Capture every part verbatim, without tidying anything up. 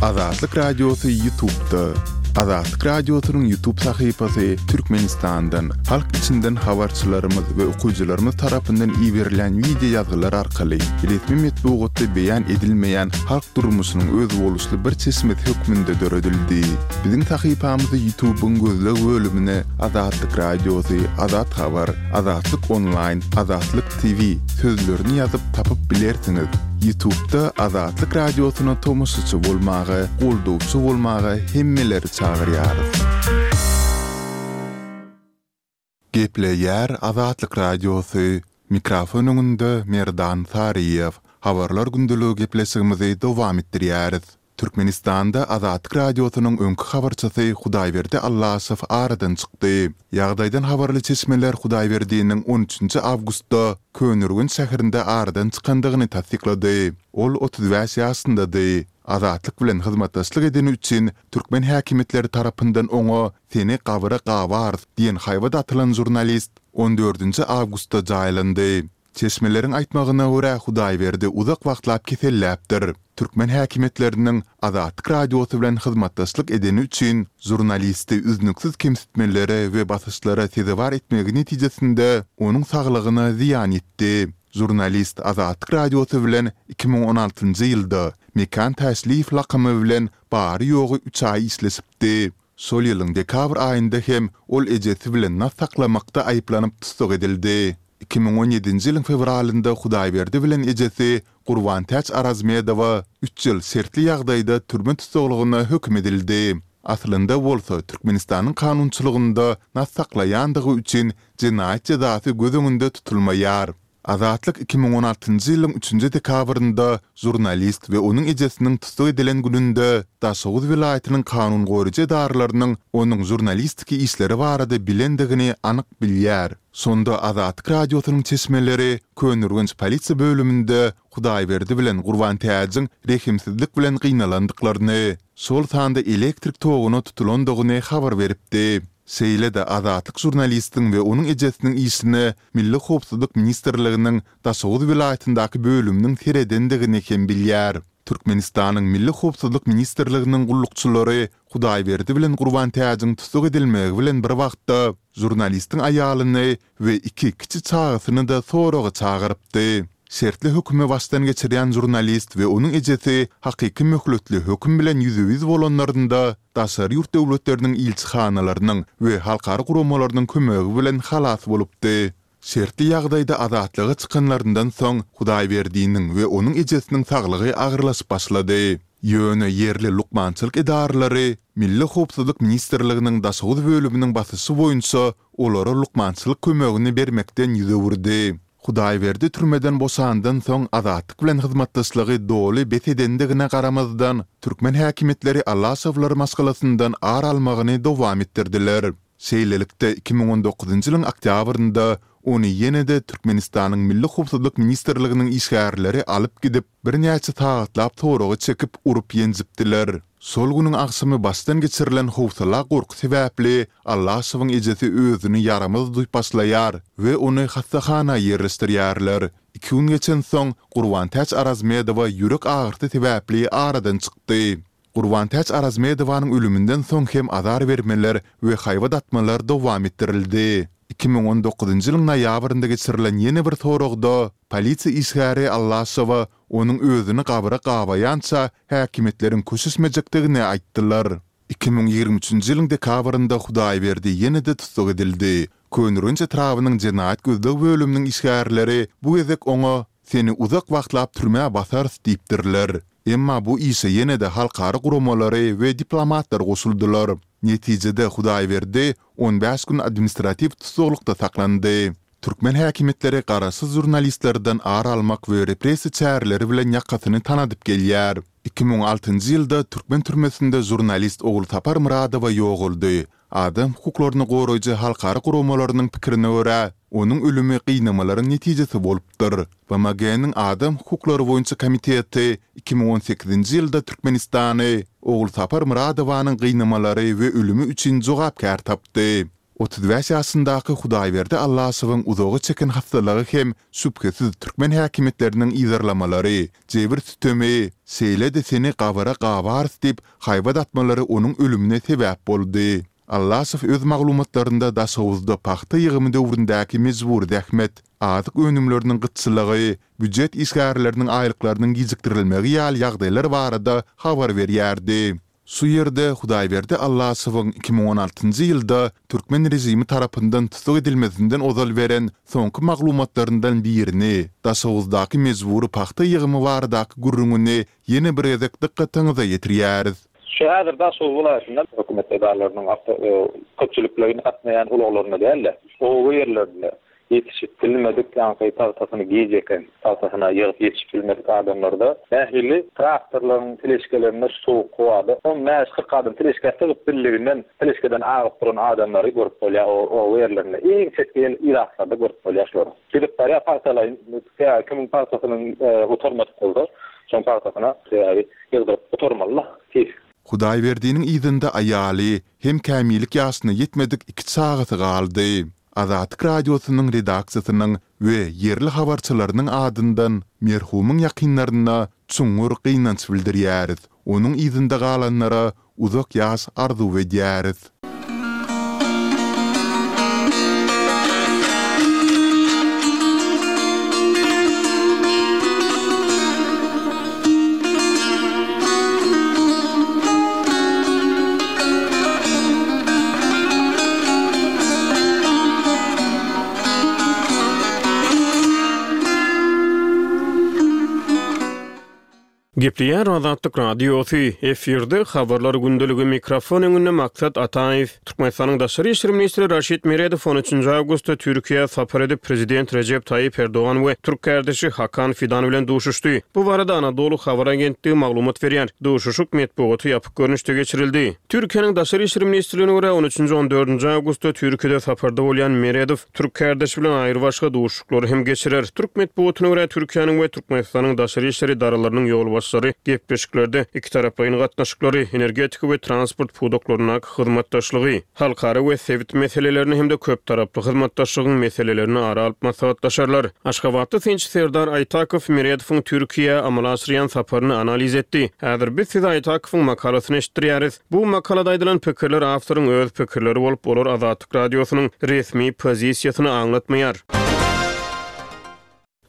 Azatlyk Radiosy YouTube'da. Azatlyk Radiosynyň YouTube sahypasy Türkmenistandan, halk içinden habarçylarymyz we okyjylarymyz tarapyndan iberilen wideo ýazgylar arkaly resmi metbugatda beýan edilmeýän halk durmuşynyň özboluşly bir çeşmesi hökmünde döredildi. Biziň sahypamyzy YouTube'yň gözleg bölümine Azatlyk Radiosy, Azat Habar, Azatlyk Onlaýn, Azatlyk T V sözlerini ýazyp tapyp bilersiňiz. YouTube'da Azatlyk Radiosyna tomaşaçy bolmaga, goldawçy bolmaga hemmeleri çagyrýarys. Gepleýär Azatlyk Radiosy. Mikrofon öňünde Merdan Saryýew. Habarlar gündeligi gepleşigimizi dowam etdirýäris. Türkmenistanda Azatlyk Radiosynyň öňki habarçysy Hudaýberdi Allaşow aradan çykdy. Ýagdaýdan habarly çeşmeler Hudaýberdiniň on üçünji awgustda Köneürgenç şäherinde aradan çykandygyny tassyklady. Ol otuz bäş ýaşyndady. Azatlyk bilen hyzmatdaşlyk edeni üçin türkmen häkimiýetleri tarapyndan oňa "Seni gabyra gabarys" diýen haýbat atylan žurnalist on dördünji awgustda jaýlandy. Çeşmeleriň aýtmagyna görä, Hudaýberdi uzak wagtlap keselläpdir. Türkmen häkimiýetleriniň Azatlyk Radiosy bilen hyzmatdaşlyk edeni üçin žurnalisti üznüksiz kemsitmelere we basyşlara sezewar etmegi netijesinde onuň saglygyna zyýan ýetdi. Žurnalist Azatlyk Radiosy bilen iki müň on altynjy ýylda Mekan Täşliýew lakamy bilen bary-ýogy üç aý işleşipdi. Şol ýylyň dekabr aýynda hem ol ejesi bilen nas saklamakda aýyplanyp tussag edildi. Iki müň on ýedinji ýylyň fewralynda Hudaýberdi bilen ejesi Gurbantäç Arazmedowa üç ýyl şertli ýagdaýda türme tussaglygyna höküm edildi. Aslynda bolsa Türkmenistanyň kanunçylygynda nas saklaýandygy üçin jenaýat jezasy göz öňünde tutulmaýar. Azatlyk iki müň on altynjy ýylyň üçünji dekabrynda žurnalist we onuň ejesiniň tussag edilen gününde Daşoguz welaýatynyň kanun goraýjy edaralarynyň onuň žurnalistiki işleri barada bilendigini anyk bilýär. Şonda Azatlyk Radiosynyň çeşmeleri Köneürgenç polisiýa bölüminde Hudaýberdi bilen Gurbantäjiň rehimsizlik bilen gynalandyklaryny, şol sanda elektrik toguna tutulandygyny habar beripdi. Şeýle-de Azatlyk žurnalistiň we onuň ejesiniň işine Milli howpsuzlyk ministrliginiň Daşoguz welaýatyndaky bölüminiň seredendigini hem bilýär. Türkmenistanyň Milli howpsuzlyk ministrliginiň gullukçylary Hudaýberdi bilen Gurbantäjiň tussag edilmegi bilen bir wagtda žurnalistiň aýalyny we iki kiçi çagasyny-da soraga çagyrypdy. Şertli hökümi başdan geçirýän žurnalist we onuň ejesi hakyky möhletli höküm bilen ýüzbe-ýüz bolanlarynda daşary ýurt döwletleriniň ilçihanalarynyň we halkara guramalarynyň kömegi bilen halas bolupdy. Şertli ýagdaýda azatlyga çykanlaryndan soň Hudaýberdiniň we onuň ejesiniň saglygy agyrlaşyp başlady. Ýöne ýerli lukmançylyk edaralary Milli howpsuzlyk ministrliginiň Daşoguz bölüminiň basyşy boýunça olara lukmançylyk kömegini bermekden ýüz öwürdi. Hudaýberdi türmeden boşandan soň Azatlyk bilen hyzmatdaşlygy doly bes edendigine garamazdan, türkmen häkimiýetleri Allaşowlar maşgalasyndan ar almagyny dowam etdirdiler. Şeýlelikde, iki müň on dokuzynjy ýylyň oktýabrynda ony ýene-de Türkmenistanyň Milli howpsuzlyk ministrliginiň işgärleri alyp gidip, birnäçe sagatlap soraga çekip, urup-ýenjipdiler. Şol günüň agşamy başdan geçirilen howsala-gorky sebäpli Allaşowyň ejesi özüni ýaramaz duýup başlaýar we ony hassahana ýerleşdirýärler. Iki gün geçensoň, Gurbantäç Arazmedowa ýürek agyrysy sebäpli aradan çykdy. Gurbantäç Arazmedowanyň ölüminden soň hem azar bermeler we haýbat atmalar dowam etdirildi. Iki müň on dokuzynjy ýylyň noýabrynda geçirilen ýene bir soragda polisiýa işgäri Allaşowa onuň özüni gabyra gabaýança häkimiýetleriň köşeşmejekdigini aýtdylar. Iki müň ýigrimi üçünji ýylyň dekabrynda Hudaýberdi ýene-de tussag edildi. Köneürgenç etrabynyň jenaýat gözleg bölüminiň işgärleri bu gezek oňa Seni uzak wagtlap türmä basarys diýipdirler. Emma bu işe ýene-de halkara guramalary we diplomatlar goşuldylar. Netijede Hudaýberdi on bäş gün administratiw tussaglykda saklandy. Türkmen häkimiýetleri garaşsyz žurnalistlerden ar almak we repressiýa çäreleri bilen ýakasyny tanadyp gelýär. Iki müň altynjy ýylda türkmen türmesinde žurnalist Ogulsapar Myradowa ýogaldy. Adam hukuklaryny goraýjy halkara guramalarynyň pikirine görä, onuň ölümi gynamalaryň netijesi bolupdyr. B M G-niň Adam hukuklary boýunça komiteti iki müň on sekizinji ýylda Türkmenistany Ogulsapar Myradowanyň gynamalary we ölümi üçin jogapkär tapdy. Otuz bäş ýaşyndaky Hudaýberdi Allaşowyň uzaga çeken hassalygy hem şübhesiz türkmen häkimiýetleriniň yzarlamalary, jebir-sütemi, şeýle-de seni gabyra gabarys diýip haýbat atmalary onuň ölümine sebäp boldy. Allaşow öz maglumatlarynda Daşoguzda pagta ýygymy döwründäki mejbury zähmet, azyk önümleriniň gytçylygy, býujet işgärleriniň aýlyklarynyň gijikdirilmegi ýaly ýagdaýlar barada habar berýärdi. Şu ýerde Hudaýberdi Allaşowyň iki müň on altynjy ýylda türkmen režimi tarapyndan tussag edilmezinden ozal beren soňky maglumatlaryndan birini, Daşoguzdaky mejbury pagta ýygymy baradaky gürrüňini ýene bir gezek dykgatyňyza ýetirýäris. Şu häzir Daşoguz welaýatynda hökümet edaralarynyň köpçülikleýin gatnaýan ulaglarynda däl-de, oba ýerlerinde ýetişip bilmedik, ýaňky pagtasyny giç eken, pagtasyna ýygyp ýetişip bilmedik adamlarda nähili traktorlaryň teleşkelerinde şu sowuk howada on bäş-kyrk adam teleşkä sygyp bildiginden teleşkeden agyp duran adamlary görüp bolýar oba ýerlerinde. Iň çetki ilatlarda görüp bolýar şulary. Gidip barýar pagtalaýyn, kimiň pagtasynyň gutarmadyk bolsa, şoň pagtasyna sebäbi ýygdyryp gutarmaly-da tiz. Hudaýberdiniň yzynda aýaly hem kämillik ýaşyna ýetmedik iki çagasy galdy. Azatlyk Radiosynyň redaksiýasynyň we ýerli habarçylarynyň adyndan merhumyň ýakynlaryna çuňňur gynanç bildirýäris. Onuň yzynda galanlara uzak ýaş arzuw edýäris. Gepleýär Azatlyk Radiosy, efirde Habarlar gündeligi, mikrofon öňünde Maksat Ataýew. Türkmenistanyň Daşary işler ministri Raşid Meredow on üçünji awgustda Türkiýä sapar edip, prezident Rejep Taýyp Erdogan we türk kärdeşi Hakan Fidan bilen duşuşdy. Bu barada Anadolu habar agentligi maglumat berýär. Duşuşyk metbugata ýapyk görnüşde geçirildi. Türkiýäniň Daşary işler ministrligine görä, on üçünji, on dördünji awgustda Türkiýede saparda bolýan Meredow türk kärdeşi bilen aýrybaşga duşuşyklary hem geçirer. Türk metbugatyna görä, Türkiýäniň we Türkmenistanyň daşary işler edaralarynyň ýolbaşçylary gepleşiklerde ikitaraplaýyn gatnaşyklary, energetika we transport pudaklaryndaky hyzmatdaşlygy, halkara we sebit meselelerini hem-de köptaraply hyzmatdaşlygyň meselelerini ara alyp maslahatlaşarlar. Aşgabatda synçy Serdar Aýtakow Meredowyň Türkiýä amala aşyrýan saparyny analiz etdi. Häzir biz size Aýtakowyň makalasyny eşitdirýäris. Bu makalada aýdylan pikirler awtoryň öz pikirleri bolup, olar Azatlyk Radiosynyň resmi pozisiýasyny aňlatmaýar.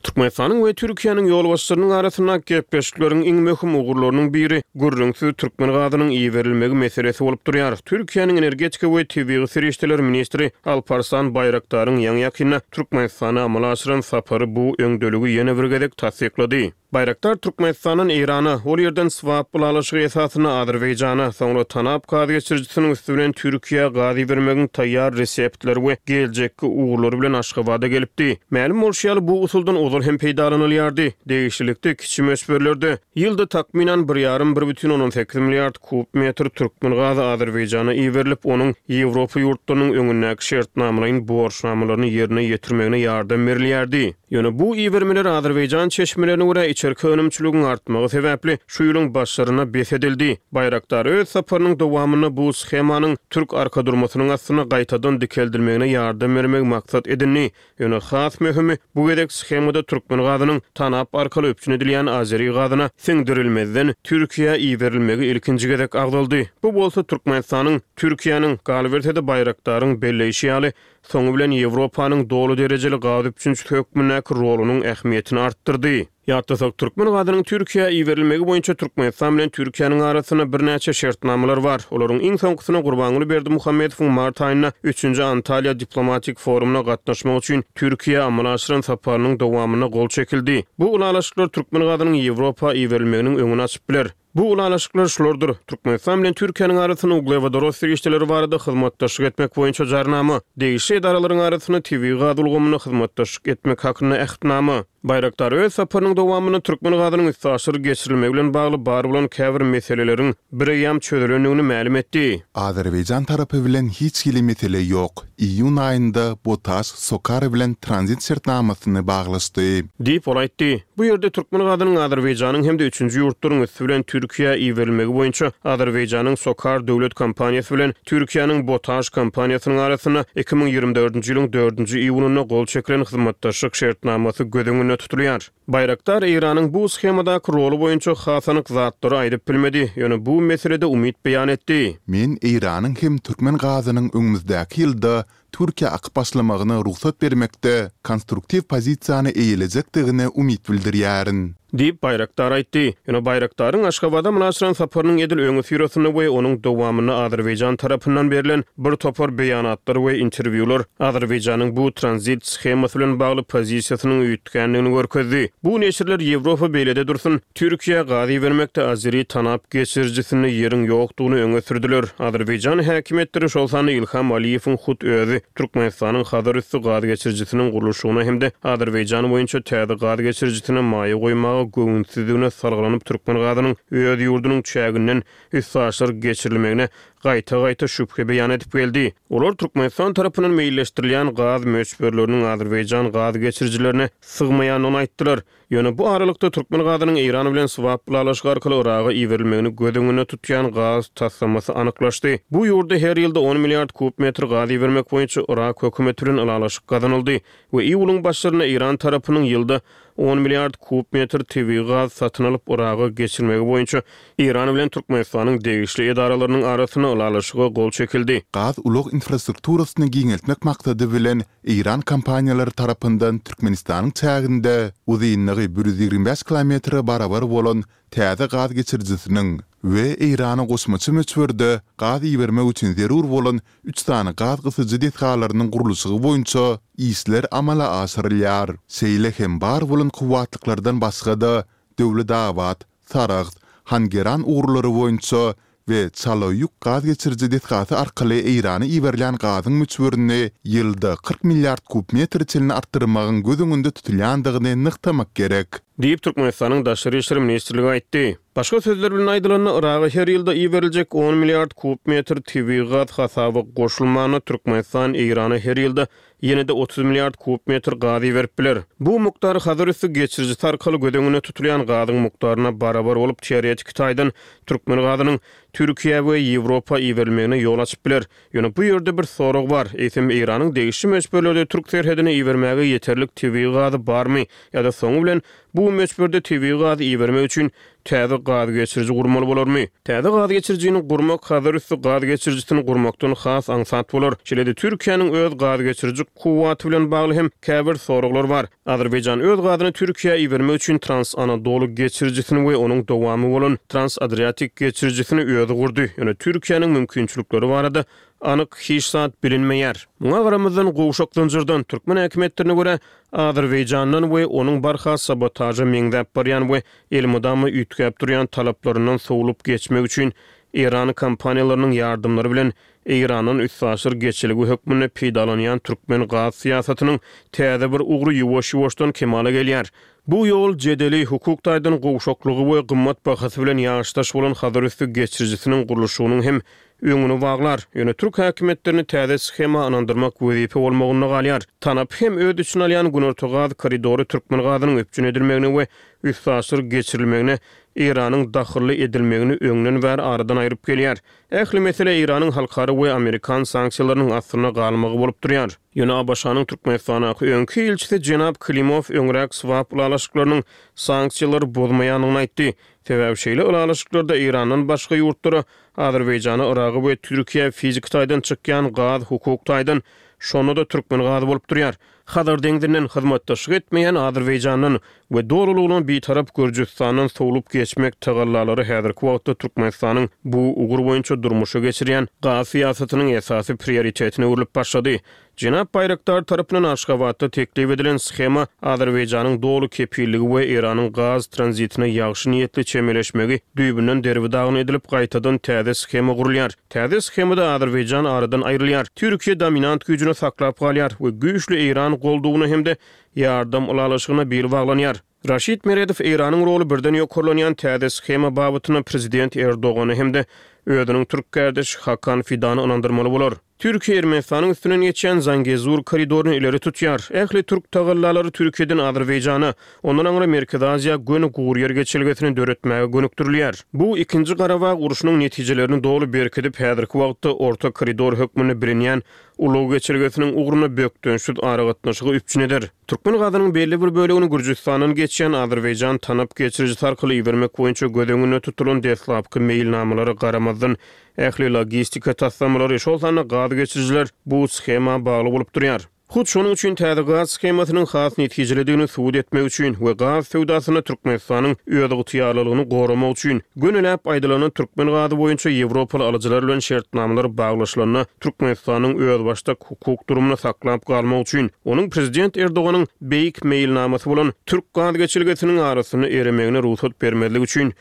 Türkmenistanyň we Türkiýäniň ýolbaşçylarynyň arasynda gepleşikleriň iň möhüm ugurlarynyň biri gürrüňsiz türkmen gazynyň iberilmegi meselesi bolup durýar. Türkiýäniň energetika we tebigy serişdeler ministri Alparslan Baýrakdaryň ýaňy-ýakynda Türkmenistana amala aşyran sapary bu öňdeligi ýene bir gezek tassyklady. Baýrakdar Türkmenistandan Eýrana, ol ýerden swap ylalaşygy esasynda Azerbaýjana, soňra TANAP gaz geçirijisiniň üsti bilen Türkiýä gaz ibermegiň taýýar reseptleri we geljekki ugurlary bilen Aşgabada gelipdi. Mälim bolşy ýaly, bu usuldan ozal hem peýdalanylýardy. Degişlilikde kiçi möçberlerde, ýylda takmynan bir ýarym, bir bütin ondan sekiz milliard kub metr türkmen gazy Azerbaýjana iberilip, onuň Ýewropa ýurtlarynyň öňündäki şertnamalaýyn borçnamalaryny ýerine ýetirmegine ýardam berilýärdi. Ýöne bu ibermeler Azerbaýjan çeşmelerine görä içerki önümçiligiň artmagy sebäpli şu ýylyň başlarynda bes edildi. Baýrakdar öz saparynyň dowamynda bu shemanyň türk arka durmasynyň astynda gaýtadan dikeldilmegine ýardam bermegi maksat edindi. Ýöne has möhümi, bu gezek shemada türkmen gazynyň TANAP arkaly üpjün edilýän azeri gazyna siňdirilmezden Türkiýä iberilmegi ilkinji gezek agzaldy. Bu bolsa Türkmenistanyň, Türkiýäniň, galyberse-de Baýrakdaryň belleýşi ýaly, soňy bilen Ýewropanyň doly derejeli gaz üpjünçisi hökmündäki rolunyň ähmiýetini artdyrdy. Ýatlasak, türkmen gazynyň Türkiýä iberilmegi boýunça Türkmenistan bilen Türkiýäniň arasynda birnäçe şertnamalar bar. Olaryň iň soňkusyna Gurbanguly Berdimuhamedowyň mart aýynda üçünji Antalýa diplomatik forumyna gatnaşmak üçin Türkiýä amala aşyran saparynyň dowamynda gol çekildi. Bu ylalaşyklar türkmen gazynyň Ýewropa iberilmeginiň öňüni açyp biler. Bu ylalaşyklar şulardyr: Türkmenistan bilen Türkiýäniň arasynda uglewodorod serişdeleri barada hyzmatdaşlyk etmek boýunça jarnama, degişli edaralaryň arasynda tebigy gaz ulgamynda hyzmatdaşlyk etmek hakynda ähtnama. Baýrakdar öz saparynyň dowamynda türkmen gazynyň üstaşyr geçirilmegi bilen bagly bar bolan käbir meseleleriň bireýýäm çözülendigini mälim etdi. Azerbaýjan tarapy bilen hiç hili mesele ýok. Iýun aýynda BOTAŞ SOCAR bilen tranzit şertnamasyny baglaşdy. Diýip, ol aýtdy. Bu ýerde türkmen gazynyň Azerbaýjanyň hem-de üçünji ýurtlaryň üsti bilen Türkiýä Türkiýä iberilmegi boýunça Azerbaýjanyň SOCAR döwlet kompaniýasy bilen Türkiýäniň BOTAŞ kompaniýasynyň arasynda iki müň ýigrimi dördünji ýylyň dördünji iýunynda gol çekilen hyzmatdaşlyk şertnamasy göz öňünde tutulýar. Baýraktar Eýranyň bu shemadaky roly boýunça has anyk zatlary aýdyp bilmedi, ýöne bu meselede umyt beýan etdi. Men Eýranyň hem türkmen gazynyň öňümizdäki ýylda Türkiýä akyp başlamagyna rugsat bermekde konstruktiw pozisiýany eýelejekdigine umyt bildirýärin. Diýip, Baýraktar aýtdy. Ýöne Baýraktaryň Aşgabada amala aşyran saparynyň edil öňüsyrasynda we onuň dowamynda Azerbaýjan tarapyndan berlen bir topar beýanatlar we interwýular Azerbaýjanyň bu tranzit shemasy bilen bagly pozisiýasynyň üýtgändigini görkezdi. Bu neşirler Ýewropa beýlede dursun, Türkiýä gaz ibermekde Azeri tanap geçirijisinde ýeriň ýokdugyny öňe sürdüler. Azerbaýjan häkimiýetleri, şol sanda Ilham Aliýewiň hut özi Türkmenistanyň Hazar üsti gaz geçirijisiniň gurluşygyna hem-de Azerbaýjan boýunça täze gaz geçirijisine maýa goýmaga göwünsizligine salgylanyp türkmen gazynyň öz ýurdunyň çäginden üstaşyr geçirilmegine gaýta-gaýta şübhe beýan edip geldi. Olar Türkmenistan tarapyndan meýilleşdirilýän gaz möçberleriniň Azerbaýjan gaz geçirijilerine sygmaýandygyny aýtdylar. Ýöne bu aralykda türkmen gazynyň Eýran bilen swap ylalaşygy arkaly Yraga iberilmegini göz öňünde tutýan gaz taslamasy anyklaşdy. Bu ýurda her ýylda on milliard kub metr gaz ibermek boýunça Yrak hökümeti bilen ylalaşyk gazanyldy we iýulyň başlarynda Eýran tarapynyň ýylda on milliard kub metr tebigy gaz satyn alyp Yraga geçirmegi boýunça Eýran bilen Türkmenistanyň degişli edaralarynyň arasynda ylalaşyga gol çekildi. Gaz ulag infrastrukturasyny giňeltmek maksady bilen Eýran kompaniýalary tarapyndan Türkmenistanyň çäginde uzynlygy bir ýüz ýigrimi bäş kilometre barabar bolan täze gaz geçirijisiniň we Eýrana goşmaça möçberde gaz ibermek üçin zerur bolan üç sany gaz gysyjy desgalarynyň gurluşygy boýunça işler amala aşyrylýar. Şeýle hem bar bolan kuwwatlyklardan başga-da Döwletabat, Sarahs, Hangeran ugurlary boýunça we Çalaýuk gaz geçiriji desgasy arkaly Eýrana iberilýän gazyň möçberini ýylda kyrk milliard kub metre çenli artdyrmagyň göz öňünde tutulýandygyny nygtamak gerek. Diýip, Türkmenistanyň Daşary işler ministrligi aýtdy. Başga sözler bilen aýdylanda, Yraga her ýylda iberiljek on milliard kub metr tebigy gaz hasaba goşulmanda, Türkmenistan Eýrana her ýylda ýene-de otuz milliard kub metr gaz iberip biler. Bu mukdar Hazar üsti geçirijisi arkaly göz öňünde tutulýan gazyň mukdaryna barabar bolup, teoretiki taýdan türkmen gazynyň Türkiýä we Ýewropa iberilmegine ýol açyp biler. Ýöne bu ýerde bir sorag bar, eýsem Eýranyň degişli möçberlerde türk serhedine ibermäge ýeterlik tebigy gazy barmy ýa-da soňy bilen bu möçberde tebigy gazy ibermek üçin täze gaz geçiriji gurmaly bolarmy? Täze gaz geçirijini gurmak Hazar üsti gaz geçirijisini gurmakdan has aňsat bolar. Şeýle-de Türkiýäniň öz gaz geçiriji kuwwaty bilen bagly hem käbir soraglar bar. Azerbaýjan öz gazyny Türkiýä ibermek üçin Trans-Anadolu geçirijisini we onuň dowamy bolan Trans-Adriatik geçirijisini özi gurdy. Ýöne Türkiýäniň mümkinçilikleri barada anyk hiç zat bilinmeýär. Muňa garamazdan gowşak zynjyrdan, türkmen häkimiýetlerine görä, Azerbaýjandan we onuň barha sabotaža meňzäp barýan we elmydama üýtgäp durýan talaplaryndan sowlup geçmek üçin Eýran kompaniýalarynyň ýardamlary bilen Eýrandan üstaşyr geçelgi hökmünde peýdalanýan türkmen gaz syýasatynyň täze bir ugry ýuwaş-ýuwaşdan kemala gelýär. Bu ýol jedeli, hukuk taýdan gowşaklygy we gymmat bahasy bilen ýaşdaş bolan Hazar üsti geçirijisiniň gurluşygynyň hem öňüni baglar. Ýöne türk häkimiýetlerini täze shema ynandyrmak wezipe bolmagynda galýar. Tanap hem öz içine alýan Günorta gaz koridory türkmen gazynyň üpjün edilmegine we üstaşyr geçirilmegine Eýranyň dahylly edilmegini öňden bäri aradan aýryp gelýär. Ähli mesele Eýranyň halkara we amerikan sanksiýalarynyň astynda galmagy bolup durýar. Ýöne ABŞ-nyň Türkmenistandaky öňki ilçisi jenap Klimow öňräk swap ylalaşyklarynyň sanksiýalary bozmaýandygyny aýtdy. Sebäbi şeýle ylalaşyklarda Eýrandan başga ýurtlara, Azerbaýjana, Yraga we Türkiýä fiziki taýdan çykýan gaz hukuk taýdan şonda-da türkmen gazy bolup durýar. Hazar deňzinden hyzmatdaşlyk etmeýän Azerbaýjandan we dolulygyna bitarap Gürjüstandan sowlup geçmek tagallalary häzirki wagtda Türkmenistanyň bu ugur boýunça durmuşa geçirýän gaz syýasatynyň esasy prioritetine öwrülip başlady. Jenap Baýraktar tarapyndan Aşgabatda teklip edilen shema Azerbaýjanyň doly kepilligi we Eýranyň gaz tranzitine ýagşy niýetli çemeleşmegi düýbünden derbi-dagyn edilip, gaýtadan täze shema gurulýar. Täze shemada Azerbaýjan aradan aýrylýar. Türkiýe dominant güýjüni saklap galýar we güýçli Eýran goldawyna hem-de ýardam ylalaşygyna bil baglanýar. Raşid Meredow Eýranyň roly birden ýokarlanýan täze shema babatynda prezident Erdogany hem-de özüniň türk kärdeşi Hakan Fidany ynandyrmaly bolar. Türkiýe Ermenistanyň üstünden geçýän Zangezur koridoryny ileri tutýar. Ähli türk tagallalary Türkiýeden Azerbaýjana, ondan aňry Merkezi Aziýa göni guryýer geçelgesini döretmäge gönükdirilýär. Bu Ikinji Garabag urşunyň netijelerini doly berkidip, häzirki wagtda Orta koridor hökmünde bilinýän ulag geçelgesiniň ugrunda bökdençsiz aragatnaşygy üpjün eder. Türkmen gazynyň belli bir bölegini Gürjüstandan geçýän Azerbaýjan tanap geçirijisi arkaly ibermek boýunça göz öňünde tutulan deslapky meýilnamalara garamazdan, ähli logistika taslamalary, şol sanda gaz geçirijiler bu shema bagly bolup durýar. Hut şonuň üçin täze gaz shemasynyň has netijelidigini subut etmek üçin we gaz söwdasynda Türkmenistanyň özygtyýarlylygyny goramak üçin, gönüläp aýdylanda türkmen gazy boýunça ýewropaly alyjylar bilen şertnamalar baglaşylanda Türkmenistanyň özbaşdak hukuk durumyny saklap galmak üçin, onuň prezident Erdoganyň beýik meýilnamasy bolan türk gaz geçelgesiniň arasynda eremegine rugsat bermezlik üçin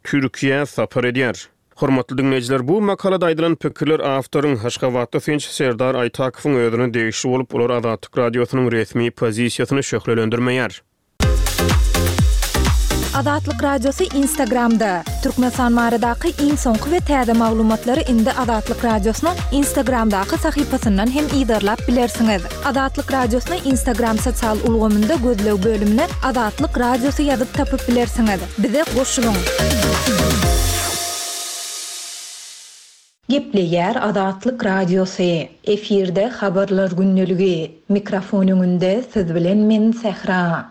Türkiýä sapar edýär. Hormatly diňleýjiler, bu makalada aýdylan pikirler awtoryň, aşgabatly synçy Serdar Aýtakowyň özüne degişli bolup, olar Azatlyk Radiosynyň resmi pozisiýasyny şöhlelendirmeýär. Azatlyk Radiosy Instagramda! Türkmenistan baradaky iň soňky we täze maglumatlary indi Azatlyk Radiosynyň Instagramdaky sahypasyndan hem yzarlap bilersiňiz. Azatlyk Radiosyny Instagram sosial ulgamynda gözleg bölümine Azatlyk Radiosy ýazyp tapyp bilersiňiz. Bize goşulyň! Gepleýär Azatlyk Radiosy, Efirde Habarlar gündeligi, mikrofon öňünde siz bilen men Sähra.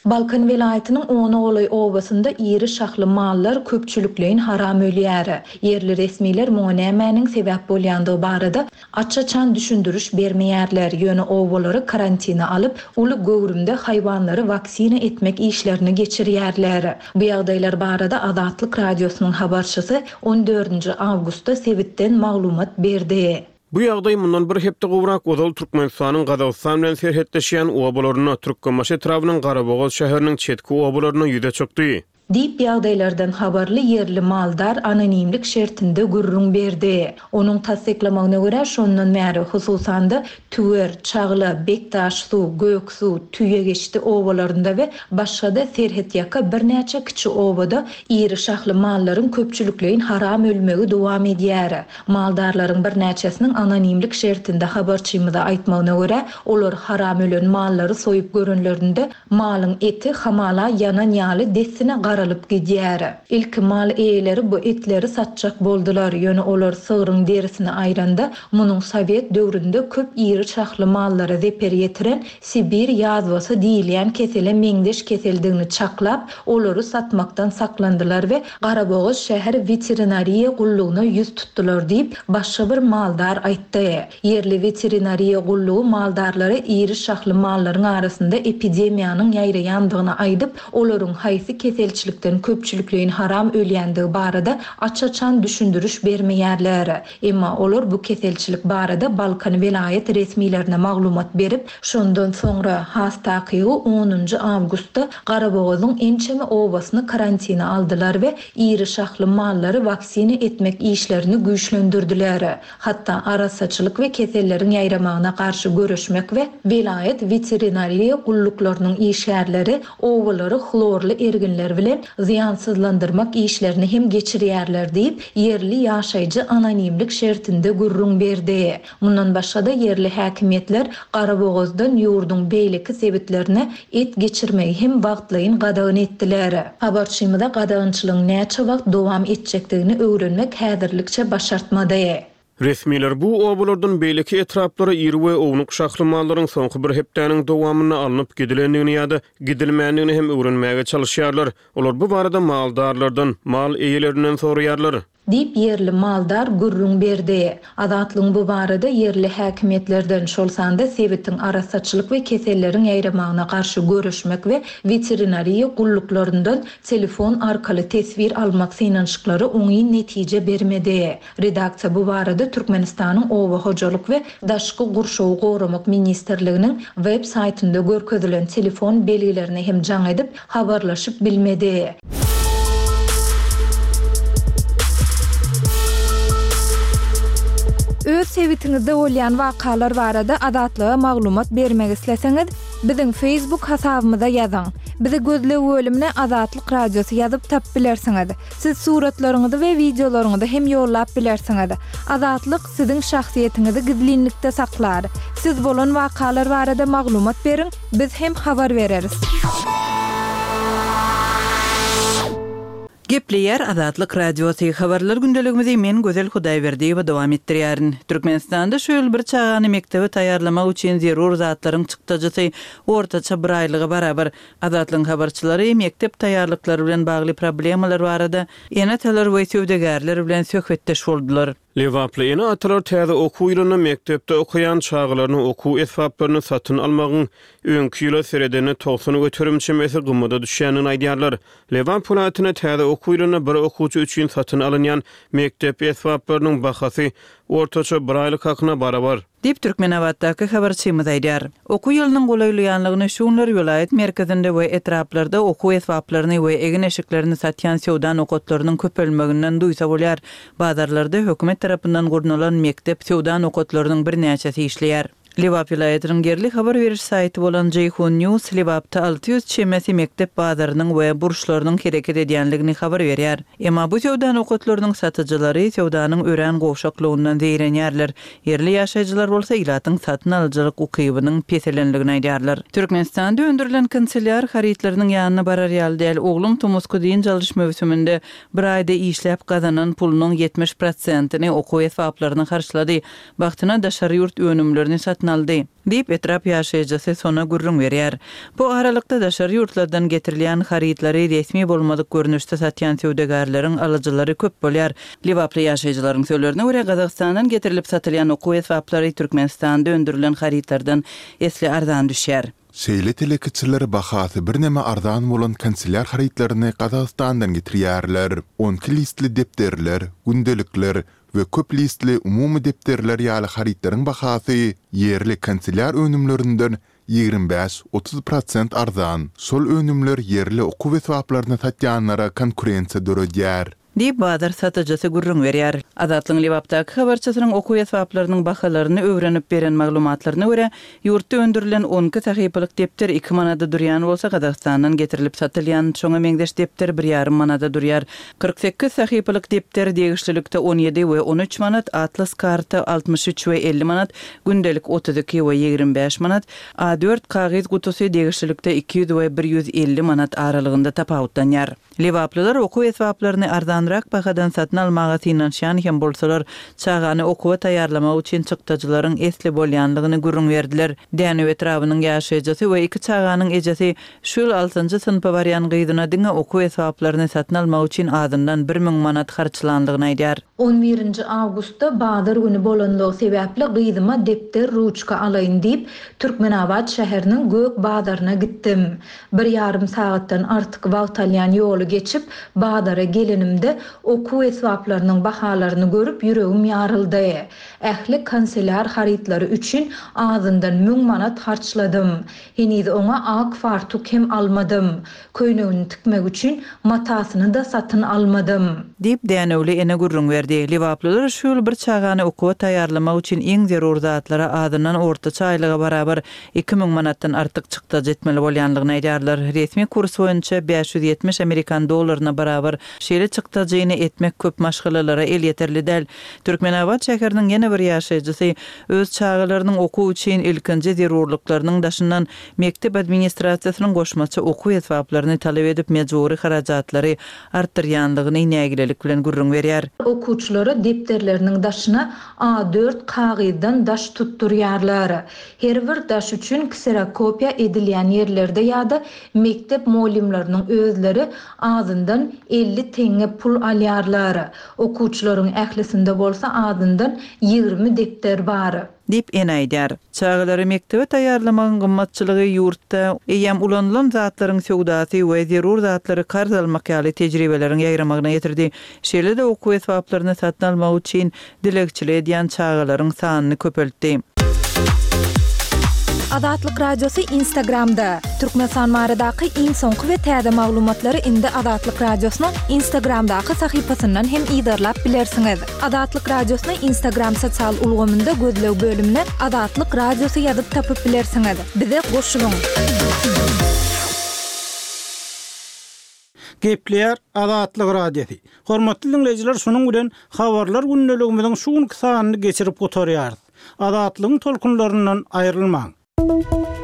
Balkan welaýatynyň ona golaý obasynda iri şahly mallar köpçülikleýin haram ölýär. Ýerli resmiler muňa nämäniň sebäp bolýandygy barada aç-açan düşündiriş bermeýärler, ýöne obalary karantina alyp, uly göwrümde haýwanlary waksina etmek işlerini geçirýärler. Bu ýagdaýlar barada Azatlyk Radiosynyň habarçysy on dördünji awgustda sebitden maglumat berdi. Bu ýagdaý mundan bir hepde gowrak ozal Türkmenistanyň Gazagystan bilen serhetleşýän obalarynda, Türkmenbaşy etrabynyň Garabogaz şäheriniň çetki obalarynda ýüze çykdy. Diýip, ýagdaýlardan habarly ýerli maldar anonimlik şertinde gürrüň berdi. Onuň tassyklamagyna görä, şondan bäri, hususan-da, Tüwer, Çagla, Bekdaşsuw, Göksuw, Tüýegeçdi obalarynda we başga-da serhetýaka birnäçe kiçi obada iri şahly mallaryň köpçülikleýin haram ölmegi dowam edýär. Maldarlaryň birnäçesiniň anonimlik şertinde habarçymyza aýtmagyna görä, olar haram ölen mallary soýup görenlerinde, malyň eti hamala ýanan ýaly dessine garalyp gidýär. Ilki mal eýeleri bu etleri satjak boldular, ýöne olar sygryň derisini aýranda, munuň sowet döwründe köp iri şahly mallara zeper ýetiren Sibir ýazwasy diýilýän kesele meňzeş keseldigini çaklap, olary satmakdan saklandylar we Garabogaz şäher weterinariýa gullugyna ýüz tutdular diýip, başga bir maldar aýtdy. Ýerli weterinariýa gullugy maldarlara iri şahly mallaryň arasynda epidemiýanyň ýaýraýandygyny aýdyp, olaryň haýsy keselçilikden köpçülikleýin haram ölýändigi barada aç-açan düşündiriş bermeýärler. Emma olar bu keselçilik barada Balkan welaýat resmilerine maglumat berip, şondan soňra, has takygy onunjy awgustda Garabogazyň ençeme obasyny karantina aldylar we iri şahly mallary waksina etmek işlerini güýçlendirdiler. Hatda arassaçylyk we keselleriň ýaýramagyna garşy göreşmek we welaýat weterinariýa gulluklarynyň işgärleri obalary hlorly erginler bilen zyýansyzlandyrmak işlerini hem geçirýärler diýip, ýerli ýaşaýjy anonimlik şertinde gürrüň berdi. Mundan başga-da ýerli häkimiýetler Garabogazdan ýurduň beýleki sebitlerine et geçirmegi hem wagtlaýyn gadagan etdiler. Habarçymyza gadagançylygyň näçe wagt dowam etjekdigini öwrenmek häzirlikçe başartmady. Resmiler bu obalardan beýleki etraplara iri we ownuk şahly mallaryň soňky bir hepdäniň dowamynda alnyp gidilendigini ýa-da gidilmändigini hem öwrenmäge çalyşýarlar. Olar bu barada maldarlardan, mal eýelerinden soraýarlar. Diýip, ýerli maldar gürrüň berdi. Azatlygyň bu barada ýerli häkimiýetlerden, şol sanda sebitiň arassaçylyk we keselleriň ýaýramagyna garşy göreşmek we weterinariýa gulluklaryndan telefon arkaly teswir almak synanyşyklary oňyn netije bermedi. Redaksiýa bu barada Türkmenistanyň Oba hojalyk we daşky gurşawy goramak ministrliginiň web saýtynda görkezilen telefon belgilerine hem jaň edip, habarlaşyp bilmedi. Öz sebitiňizde bolýan wakalar barada Azatlyga maglumat bermek isleseňiz, biziň Facebook hasabymyza ýazyň. Bizi gözleg bölümine Azatlyk Radiosy ýazyp tapyp bilersiňiz. Siz suratlaryňyzy we wideolaryňyzy hem ýollap bilersiňiz. Azatlyk siziň şahsyýetiňizi gizlinlikde saklar. Siz bolan wakalar barada maglumat beriň, biz hem habar bereris. Gepleýär Azatlyk Radiosy habarlar gündeligimizi men Gözel Hudaýberdiýewa dowam etdirýärin. Türkmenistanda şu ýyl bir çagany mekdebe taýýarlamak üçin zerur zatlaryň çykdajysy ortaça bir aýlyga barabar. Azatlygyň habarçylary mekdep taýýarlyklary bilen bagly problemalar barada ene-atalar we söwdagärler bilen söhbetdeş boldular. Lebaply ene-atalar täze okuw ýylynda mekdepde okaýan çagalarynyň okuw esbaplaryny satyn almagyň öňki ýyla seredende togsan göterim çemesi gymmada düşýändigini aýdýarlar. Lebap welaýatynda täze okuw ýylynda bir okuwçy üçin satyn alynýan mekdep esbaplarynyň bahasy ortaça bir aýlyk hakyna barabar. Diýip Türkmenabatdaky habarçymyz aýdýar. Okuw ýylynyň golaýlaýanlygyny şu günler welaýat merkezinde we etraplarda okuw esbaplaryny we egin-eşiklerini satýan söwda nokatlarynyň köpelmeginden duýsa bolýar. Bazarlarda hökümet tarapyndan gurnalan mekdep söwda nokatlarynyň birnäçesi işleýär. Lebap welaýatynyň ýerli habar beriş saýty bolan Jeýhun News Lebapda alty ýüz çemesi mekdep bazarynyň we burçlarynyň hereket edýänligini habar berýär. Emma bu söwda nokatlarynyň satyjylary söwdanyň örän gowşaklygyndan zeýrenýärler. Ýerli ýaşaýjylar bolsa ilatyň satyn alyjylyk ukybynyň peselenligini aýdýarlar. Türkmenistanda öndürilen kanselýar harytlarynyň ýanyna barar ýaly däl. Oglum tomusky dynç alyş möwsüminde bir aýda işläp gazanan pulunyň ýetmiş prosentini okuw esbaplaryna harçlady. Bagtyna daşary ýurt önümlerini satyn aldy, diýip etrap ýaşaýjysy Sona gürrüň berýär. Bu aralykda daşary ýurtlardan getirilýän harytlary resmi bolmadyk görnüşde satýan söwdagärleriň alyjylary köp bolýar. Lebaply ýaşaýjylaryň sözlerine görä, Gazagystandan getirilip satylýan okuw esbaplary Türkmenistanda öndürilen harytlardan esli arzan düşýär. Şeýle telekeçiler bahasy birneme arzan bolan kanselýar harytlaryny Gazagystandan getirýärler. On iki listli depderler, gündelikler we köp listli umumy depderler ýaly harytlaryň bahasy ýerli kanselýar önümlerinden ýigrimi bäş, otuz prosent arzan. Şol önümler ýerli okuw esbaplaryny satýanlara konkurensiýa döredýär. Diýip, bazar satyjysy gürrüň berýär. Azatlygyň Lebapdaky habarçysynyň okuw esbaplarynyň bahalaryny öwrenip beren maglumatlaryna görä, ýurtda öndürilen on iki sahypalyk depder iki manada durýan bolsa, Gazagystandan getirilip satylýan şoňa meňzeş depder bir ýarym manada durýar. Kyrk sekiz sahypalyk depder degişlilikde on ýedi we on üç manat, atlas karta altmyş üç we elli manat, gündelik otuz iki we ýigrimi bäş manat, A dört kagyz gutusy degişlilikde iki ýüz we bir ýüz elli manat aralygynda tapawutlanýar. Lebaplylar okuw esbaplaryny arzanrak bahadan satyn almaga synanyşýan hem bolsalar, çagany okuwa taýýarlamak üçin çykdajylaryň esli bolýanlygyny gürrüň berdiler. Dänew etrabynyň ýaşaýjysy we iki çaganyň ejesi şu ýyl altynjy synpa barýan gyzyna diňe okuw esbaplaryny satyn almak üçin azyndan bir müň manat harçlandygyny aýdýar. On birinji awgustda bazar güni bolanlygy sebäpli gyzyma depder, ruçka alaýyn diýip, Türkmenabat şäheriniň Gök bazaryna gitdim. Bir ýarym sagatdan artyk wagt alýan ýoly geçip, bazara gelenimde okuw esbaplarynyň bahalaryny görüp ýüregim ýaryldy. Ähli kanselýar harytlary üçin azyndan müň manat harçladym. Heniz oňa ak fartuk hem almadym. Köýnegini tikmek üçin matasyny-da satyn almadym. Diýip, dänewli ene gürrüň berdi. Lebaplylar şu ýyl bir çagany okuwa taýýarlamak üçin iň zerur zatlara azyndan ortaça aýlyga barabar iki müň manatdan artyk çykdajy etmeli bolýanlygyny aýdýarlar. Resmi kurs boýunça bäş ýüz ýetmiş amerikan dollaryna barabar şeýle çykdajyny etmek köp maşgalalara elýeterli däl. Türkmenabat şäheriniň ýene bir ýaşaýjysy öz çagalarynyň okuw üçin ilkinji zerurlyklarynyň daşyndan mekdep administrasiýasynyň goşmaça okuw esbaplaryny talap edip mejbury harajatlary artdyrýanlygyny nägilelik bilen gürrüň berýär. Okuwçylara depderleriniň daşyna A dört kagyzdan daş tutdurýarlar. Her bir daş üçin kserokopiýa edilýän ýerlerde ýa-da mekdep mugallymlarynyň özleri azyndan elli teňňe pul alýarlar. Okuwçylaryň ählisinde bolsa azyndan ýigrimi depder bar. Diýip, ene aýdýar. Çagalary mekdebe taýýarlamagyň gymmatçylygy ýurtda eýýäm ulanylan zatlaryň söwdasy we zerur zatlary karz almak ýaly tejribeleriň ýaýramagyna getirdi. Şeýle-de okuw esbaplaryny satyn almak üçin dilegçilik edýän çagalaryň sanyny köpeltdi. Azatlyk Radiosy Instagramda. Türkmenistan baradaky iň soňky we täze maglumatlary indi Azatlyk Radiosynyň Instagramdaky sahypasyndan hem yzarlap bilersiňiz. Azatlyk Radiosyny Instagram sosial ulgamynda gözleg bölümine Azatlyk Radiosy ýazyp tapyp bilersiňiz. Bize goşulyň. Gepleýär Azatlyk Radiosy. Hormatly diňleýjiler, şunuň bilen Habarlar gündeligimiziň şu günki sanyny geçirip gutarýarys. Azatlygyň tolkunlaryndan aýrylmaň.